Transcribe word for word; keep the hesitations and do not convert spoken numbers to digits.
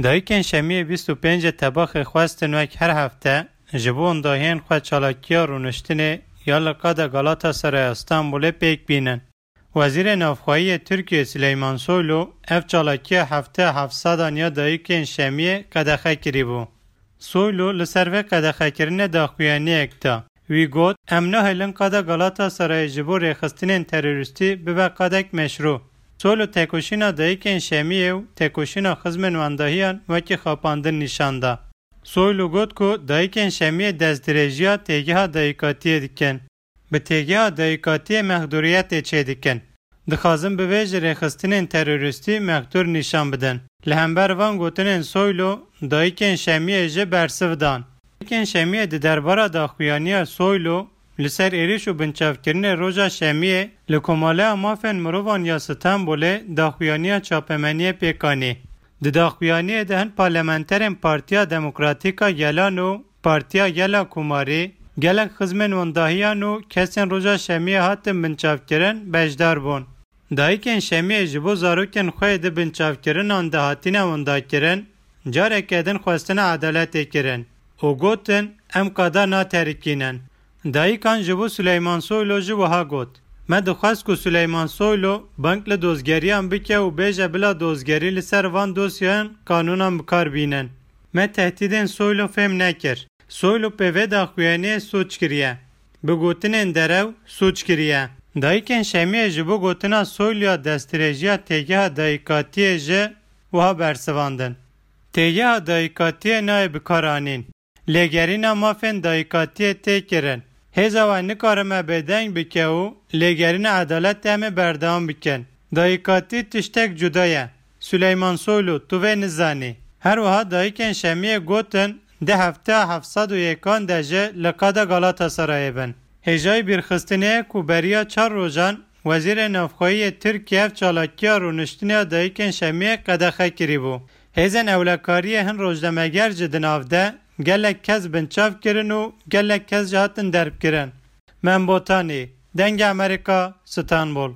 Dayikên Şemiyê bîst û pêncê Tebaxê xwestin wek her hefte ji bo wendahiyên xwe çalakiya rûniştinê ya li qada Galatasaraya Stenbolê pêk bînin. Wezîrê Navxweyî yê Tirkiyê Sileyman Soylu ev çalakiya hefteya heft sedan ya Dayikên Şemiyê qedexe kirîbû. Soylu li ser vê qedexekirinê daxuyaniyek da. Wî got, Em nahêlin qada Galatasarayê ji bo rêxistinên terorîstî bibe qadek meşrû. Soylu tekoşîna Dayikên Şemiyê û tekoşîna xizmên wendahiyan wekî xapandin nîşan da. Soylu got ku Dayikên Şemiyê destdirêjiya têgeha dayikatiyê dikin. Bi têgeha dayikatiyê mexdûriyetê çêdikin. Dixwazin bi vê ji rêxistinên terorîstî mexdûr nîşan bidin. Li hember van gotinên Soylu, Dayikên Şemiyê jî bersiv dan. Dayikên Şemiyê di derbara daxuyaniya Soylu li ser êrîş û binçavkirinê roja Şemiyê li Komaleya Mafên Mirovan ya Stenbolê daxuyaniya çapemeniyê pêk anî. Di daxuyaniyê de hin parlamenterên Partiya Demokratîk a Gelan û Partiya Gela Komarî, gelek xizmên wendahiyan û kesên roja Şemiyê hatin binçavkirin beşdar bûn. Dayikên Şemiyê ji bo zarokên xwe yê di binçavkirinan de hatine wendakirin, careke din xwestina edaletê kirin û gotin, Em qada naterikînin. Dayikan ji bo Suleyman Soylu jî wiha got, Me dixwest ku Suleyman Soylu bang li dozgeriyan bike û bêje bila dozgerî li ser van dosyeyan qanûnan bi kar bînin. Me tehdîdên Soylu fêm nekir. Soylu pê vê daxuyaniyê soç kiriye. Bi gotinên derew soç kiriye. Dayikên Şemiyê ji bo gotina Soyluya destdirêjiya têgeha dayikatiyê jî wiha bersivandin, Têgeha dayikatiyê nayê bikaranîn. Lêgerîna mafên dayikatiyê tê kirin. Hêza we nikarime bêdeng bike û lêgerîna edaletê em ê berdewam bikin. Dayikatî tiştek cuda ye. Suleyman Soylu, tu vê nizanî. Her wiha dayikên Şemiyê gotin, di hefteya heft sed û yekan de jî li qada Galatasarayê bin. Hêjayî bîrxistinê ye ku beriya çar rojan Wezîrê Navxweyî yê Tirkiye ev çalakiya rûniştinê ya dayikên Şemiyê qedexe kirîbû. Hêzên ewlekariyê hin rojnameger jî di nav de gelek kes binçav kirin û gelek kes jî hatin derbkirin. Mem Botanî, Dengê Amerîka, Stenbol.